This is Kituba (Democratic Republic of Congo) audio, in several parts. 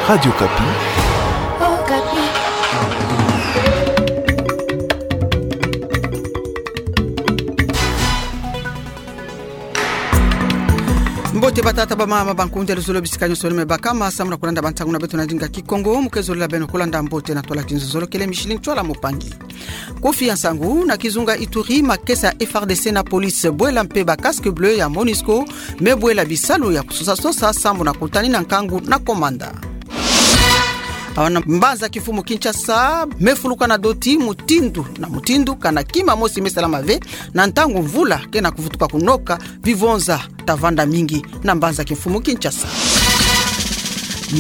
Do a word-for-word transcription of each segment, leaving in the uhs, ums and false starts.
Radio Okapi. Mbote batata, bamama, bankunda, luzolo, bisika nyonso beno me bakama samu na kulanda bansangu na beto na ndinga Kikongo. Mu ke zolila beno kulanda mbote na twala kinzonzolo kele Micheline Tchouala Mopangi. Kofi ya nsangu. Na kizunga Ituri, makesa ya F A R D C na police bwela mpe ba casque bleu ya Monusco me bwela bisalu ya kusosa-sosa samu na kutanina nkangu na komanda. Awa na mbanza kimfumu Kinshasa, me fuluka na doti mutindu na mutindu, kana kima mosi me salama ve na ntangu mvula ke na kuvutuka kunoka, bivonza ta vanda mingi na mbanza kimfumu Kinshasa.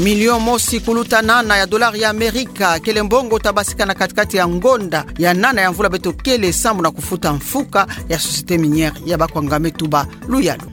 Million mosi kuluta nana ya dollar ya Amerika kele mbongo ta basika na kati-kati ya ngonda ya nana ya mvula beto kele samu na kufuta mfuka ya société minière ya Bakwanga me tuba luyalu.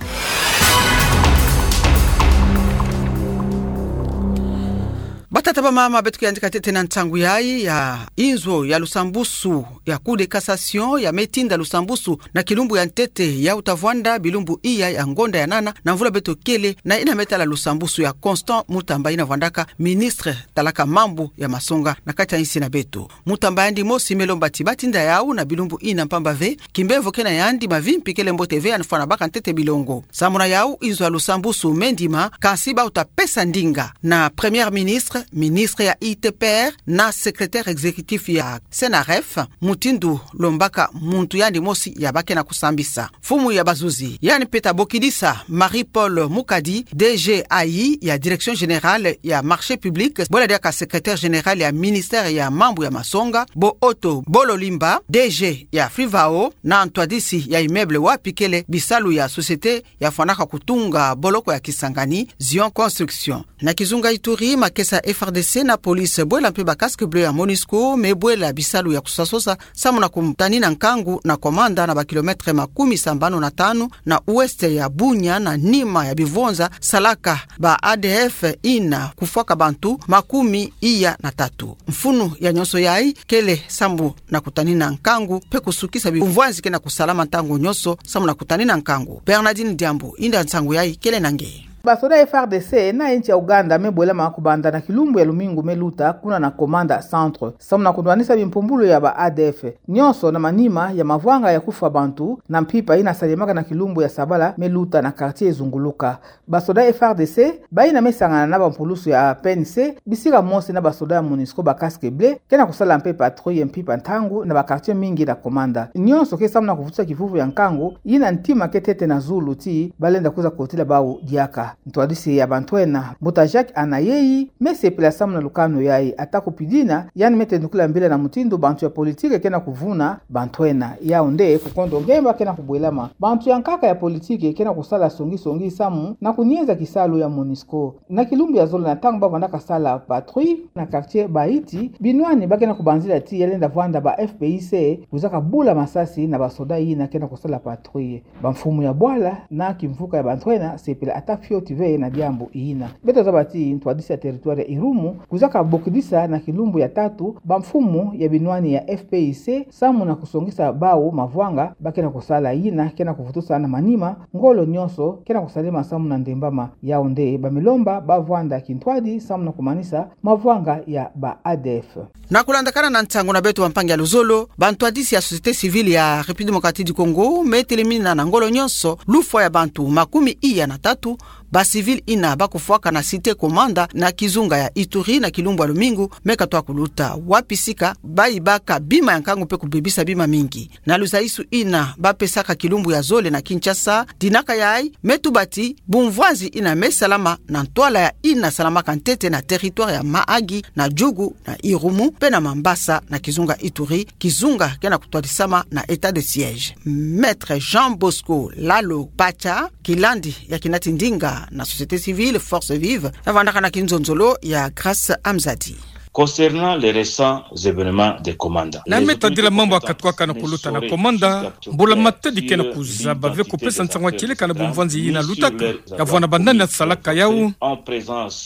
Batata, bamama, beto ke yandika ntete na nsangu yayi ya inzo ya lusambusu ya Cour de cassation ya me tinda lusambusu na kilumbu ya ntete ya uta vwanda bilumbu iya ya ngonda ya nana na mvula beto kele, na yina me tala lusambusu ya Constant Mutamba yina vwandaka ministre talaka mambu ya masonga na kati ya insi na beto. Mutamba yandi mosi me lomba ti ba tinda yawu na bilumbu yina mpamba ve, kimbevo ke na yandi mavimpi kele mbote ve, yandi fwana baka ntete bilongo. Samu na yawu, inzo ya lusambusu me ndima, kansi ba uta pesa ndinga na Premier Ministre, ministre ya I T P R na secrétaire exécutif ya CNRF, mutindu lombaka muntu yandi mosi ya ba ke na kusambisa. Mfumu ya bazuzi, yandi mpe ta bokidisa Marie-Paule Mukadi, D G ayi ya Direction Générale ya Marché Public, bwela diaka secrétaire général ya ministère ya mambu ya masonga, bo Otto Bololimba, D G ya Frivao, na ntwadisi ya immeuble wapi kele bisalu ya société ya fwanaka kutunga boloko ya Kisangani, Zion Construction. Na kizunga Ituri, makesa ya F R D C na police bwela mpe ba casque bleu ya Monusco me bwela bisalu ya kusosa-sosa samu na kutanina nkangu na komanda na ba kilomètre makumi sambanu na tanu na ouest ya Bunia, na nima ya bivonza salaka ba A D F yina kufwaka bantu makumi iya na tatu. Mfunu ya nyonso yayi kele samu na kutanina nkangu mpe kusukisa bimvwanzi ke na kusalama ntangu nyonso samu na kutanina nkangu. Bernardine Diambu, inda nsangu yayi kele na nge. Basoda F R D C na insi ya Ouganda me bwelama kubanda na kilumbu ya lumingu me luta kuna na Komanda Centre samu na kunwanisa bimpumbulu ya ba A D F, nyonso na manima ya mavwanga ya kufwa bantu na mpimpa yina salemaka na kilumbu ya sabala me luta na quartier Zunguluka. Basoda F R D C, bayina me sangana na bampulusu ya P N C, bisika mosi na basoda ya Monusco ba casque bleu, ke na kusala mpe patrouille mpimpa ntangu na ba quartier mingi na Komanda. Nyonso ke samu na kuvutisa kivuvu ya nkangu yina ntima ke tete na zulu ti balenda kwiza kotila bawu diaka. Ntwadisi ya bantu ena, Mbuta Jacques Anayeyi, me sepela samu na lukanu yayi, ata kupidina yandi me tendukila mbila na mutindu bantu ya politike ke na kuvuna bantu ena. Yau nde kukondo ngemba ke na kubwelama. Bantu ya nkaka ya politike ke na kusala songi-songi samu na kunieza kisalu ya Monusco. Na kilumbu ya zole, na ntangu ba vandaka sala patrouille na quartier Baiti, binwani ba ke na kubanzila ti ya lenda vwanda ba F P I C kwizaka bula masasi na basoda yina ke na kusala patrouille. Bamfumu ya bwala na kimvuka ya bantu ena sepela ata fioti ve na diambu yina. Beto zaba ti ntwadisi ya territoire ya Irumu kwizaka bokidisa na kilumbu ya tatu bamfumu ya binwani ya F P I C samu na kusongisa bawu mavwanga ba ke na kusala yina ke na kuvutusa na manima ngolo nyonso ke na kusalema samu na ndembama. Yau nde ba me lomba ba vwanda kintwadi samu na kumanisa mavwanga ya ba A D F. Na kulandakana na nsangu na beto, bampangi ya luzolo, bantwadisi ya société civile ya République Démocratique du Congo me telemina na ngolo nyonso lufwa ya bantu makumi iya na tatu ba civil yina ba kufwaka na cité Komanda na kizunga ya Ituri na kilumbu ya lumingu me katwa kuluta, wapi sika ba yibaka bima ya nkangu mpe kubebisa bima mingi. Na luzaisu yina ba pesaka kilumbu ya zole na Kinshasa, dinaka yayi me tuba ti bumvwanzi yina me salama na ntwala ya yina salamaka ntete na territoire ya Mahagi, na Djugu, na Irumu, mpe na Mambasa, na kizunga Ituri, kizunga ke na kutwadisama na état de siège. Maître Jean Bosco Lalo Pacha, kilandi ya kinati ndinga na société civile Force Vive, ya vandaka na kinzonzolo ya Grâce Amzadi. Concernant les récents événements de Komanda, na me tadila mambu ya katuka na kuluta na Komanda, mbula matadi kena kuzaba ve kupesa nsangu ya kieleka na bumvwanzi yina lutaka, ya vwa na banani asalaka yawu,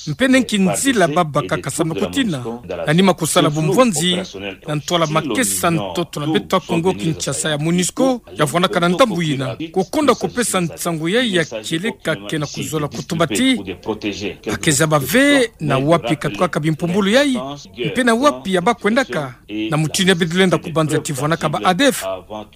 mpe nki nzila babakaka samu na kutina, na nima kusala bumvwanzi, na ntwala makesa ntoto na beto ya Kongo Kinshasa ya MONUSCO, ya vwanaka na ndambu yina. Kukonda kupesa nsangu yayi ya kieleka kena kuzola kutuba ti, bakeza bave na wapi katukaka bimpumbulu yayi, mpe na wapi ya bakwendaka, na mutindu ya beto lenda kubanza ti vwanaka ba A D F,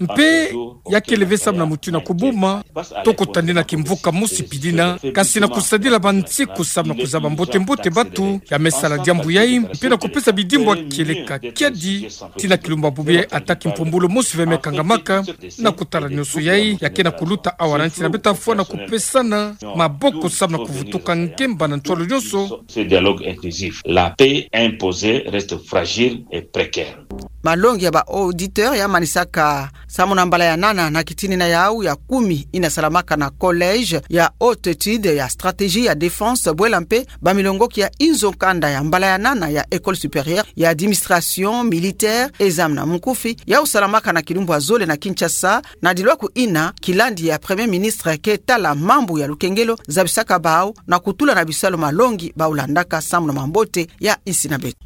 mpe ya kele ve samu na mutindu ya kubuma, toko tandi na kimvuka mosi pidina, kasi na kusadila bansiku samu na kuzaba mbote-mbote bantu ya me sala diambu yayi, mpe na kupesa bidimbu ya kieleka kiadi, tii na kilumbu ya bubu yayi ata kimpumbulu mosi ve me kangamaka, na kutala nyonso yayi ya kena kuluta awa na nsi na beto afwa na kupesana maboko samu na kuvutuka ngemba na ntwala nyonso. Ce dialogue inclusif, la paix imposée reste fragile et précaire. Malongi ya ba auditeur ya manisaka samu na mbala ya nana na kitinina yawu ya kumi yina salamaka na collège ya haute étude ya stratégie ya défense bwela mpe bamilongoki ya inzo nkanda ya mbala ya nana ya école supérieure ya administration militaire, examen na munkufi, yawu salamaka na kilumbu ya zole na Kinshasa, na dilwaku yina kilandi ya Premier Ministre ke tala mambu ya lukengelo zabisaka bawu na kutula na bisalu malongi bawu landaka samu na mambote ya insi na beto.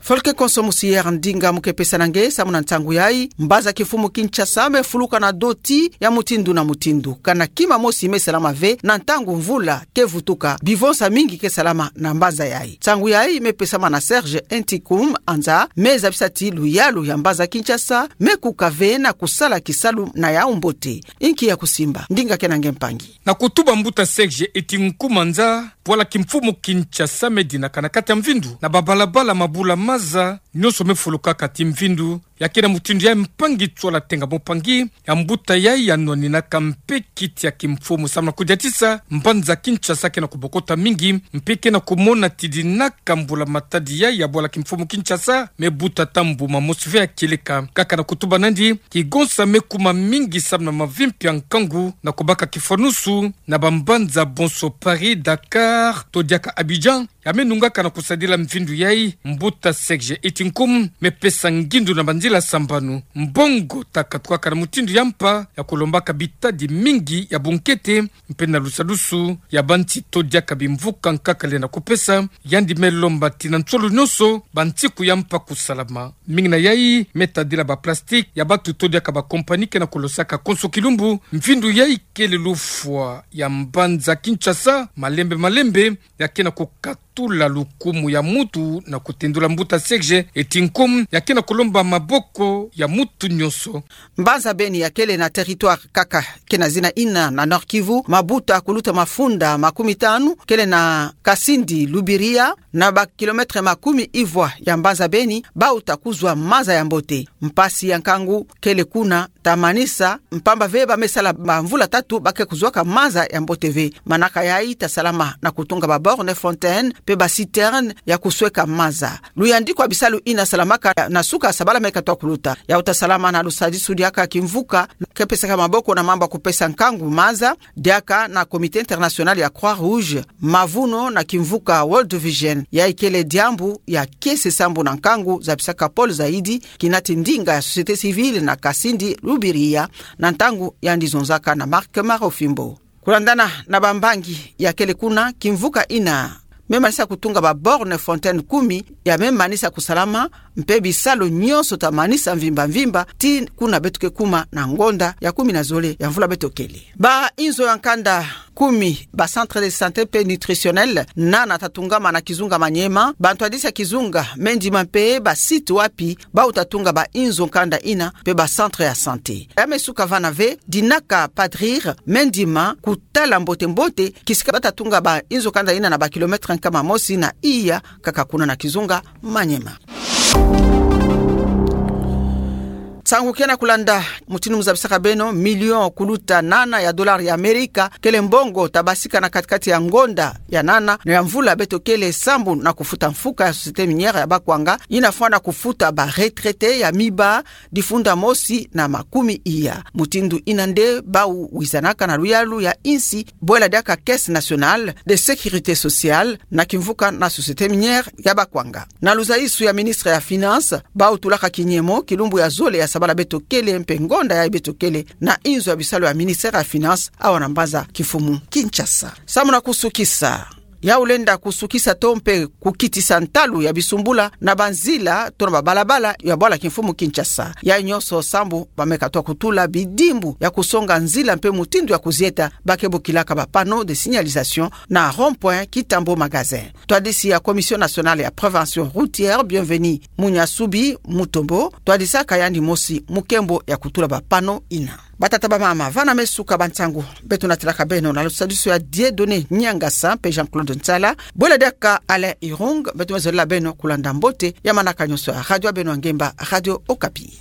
Folke konso musier ndinga mu ke pesana nge samu na ntangu yayi, mbanza kimfumu Kinshasa me fuluka na doti ya mutindu na mutindu. Kana kima mosi me salama ve na ntangu mvula ke vutuka, bivonsa mingi ke salama na mbanza yayi. Nsangu yayi me pesama na Serge Entikum Anza, me zabisa ti luyalu ya mbanza Kinshasa me kuka ve na kusala kisalu na yawu mbote. Inki ya kusimba? Ndinga kena nge mpangi. Na kutuba mbuta Serge Entikum Anza, bwala kimfumu Kinshasa me dinaka na kati ya mvindu, na babalabala, mabula-maza, nyonso me fulukaka ti mvindu. Ya kena mutindu ya mpangi Tsola Tenga Mpangi, ya mbuta yayi ya nwaninaka mpe kiti ya kimfumu samu na kudiatisa mbanza Kinshasa kena kubokota mingi, mpe kena kumona ti dinaka mbula matadi yayi ya bwala kimfumu Kinshasa me buta ata mbuma mosi ve ya kieleka. Kaka na kutuba nandi, kigonsa me kuma mingi samu na mavimpi ya nkangu na kubaka kifanusu na bambanza bonso Paris, Dakar, to diaka Abidjan, ya me nungaka na kusadila mvindu yayi. Mbuta Serge Entikum me pesa ngindu na banzila sambanu. Mbongo ta katukaka na mutindu ya mpa ya kulombaka bitadi mingi ya bunkete, mpe na lusadusu ya banti to diaka bimvuka nkaka lenda kupesa, yandi me lomba ti na nsolo nyonso bansiku ya mpa kusalama. Mingi na yayi me tadila ba plastique ya bantu to diaka ba compagnie kena kulosaka konso kilumbu. Mvindu yayi kele lufwa ya mbanza Kinshasa, malembe malembe, ya kena kukatula lukumu ya mutu na kutendula mbuta Serge Entikum, ya kena kulomba maboko ya mutu nyonso. Mbanza Beni ya kele na territoire kaka kena zina yina na Nord-Kivu, mabuta kuluta mafunda makumi tanu kele na Kasindi Lubiria, na ba kilomètre makumi ivwa ya mbanza Beni, bauta kuzwa maza ya mbote. Mpasi ya nkangu kele kuna, ta manisa, mpamba ve ba me sala bamvula tatu ba ke kuzwaka maza ya mbote ve. Manaka yayi ta salama na kutunga ba borne fontaine mpe ba citerne ya kusweka maza. Luyandiko ya bisalu yina salamaka na suka sabala me katoa kuluta. Yawu ta salama na lusadisu diaka kimvuka ke pesaka maboko na mambu ya kupesa nkangu maza, diaka na Comité International ya Croix-Rouge, mavuno na kimvuka World Vision. Yayi kele diambu ya kiese sambu na nkangu, zabisaka Paul Zaidi, kinati ndinga ya société civile na Kasindi Lubiria, na ntangu yandi zonzaka na Marc Marofimbo. Kulandana na bambangi ya kele kuna, kimvuka yina me manisa kutunga ba borne fontaine kumi ya me manisa kusalama, mpe bisalu nyonso ta manisa mvimba mvimba, tii kuna beto ke kuma na ngonda ya kumi na zole ya mvula beto kele. Ba inzo ya nkanda kumi, ba centre de santé mpe nutritionnel, nana ta tungama na kizunga Maniema, bantwadisi ya kizunga Mendima mpe ba site wapi bauta tunga ba inzo nkanda yina mpe ba centre ya santé. Ya me suka vana ve, dinaka padrir Mendima kutala mbote-mbote kisika bata tunga ba inzo nkanda yina na ba kilomètre nkama mosi na iya kaka kuna na kizunga Maniema. Nsangu kia na kulanda mutindu mu zabisaka beno, milion kuluta nana ya dollar ya Amerika, kele mbongo tabasika na kati-kati ya ngonda ya nana na ya mvula beto kele sambu na kufuta mfuka ya Société Minière ya Bakwanga, ina fwana kufuta ba retraités ya miba difunda mosi na makumi iya. Mutindu ina nde bau wizanaka na luyalu ya insi, bwela diaka Caisse Nationale de Sécurité Sociale, na kimvuka na Société Minière ya Bakwanga. Na luzaisu ya ministre ya Finances, bau tulaka kinyemo kilumbu ya zole ya sabala beto kele mpe ngonda yayi beto kele na inzo ya bisalu ya ministère ya Finances, awa na mbanza kimfumu Kinshasa. Samu na kusukisa, ya ulenda kusukisa to mpe kukitisa ntalu ya bisumbula na banzila to na babalabala ya bwala kimfumu Kinshasa. Yayi nyonso sambu bameka twa kutula bidimbu ya kusonga nzila mpe mutindu ya kuzieta ba ke bokilaka ba panneaux de signalisation na rond-point Kitambo Magasin. Twadisi ya Commission Nationale ya Prévention Routière, Bienvenu Munyasubi Mutombo, twadisaka yandi mosi mu nkembo ya kutula ba panneaux ina. Batata, bamama, vana me suka ba nsangu beto natilaka beno na lusadisu ya Dieudonné Niangasa mpe Jean-Claude Nsala, bwela diaka Alain Irung, beto me zolela beno kulanda mbote ya manaka nyonso ya radio ya beno ya ngemba, Radio Okapi.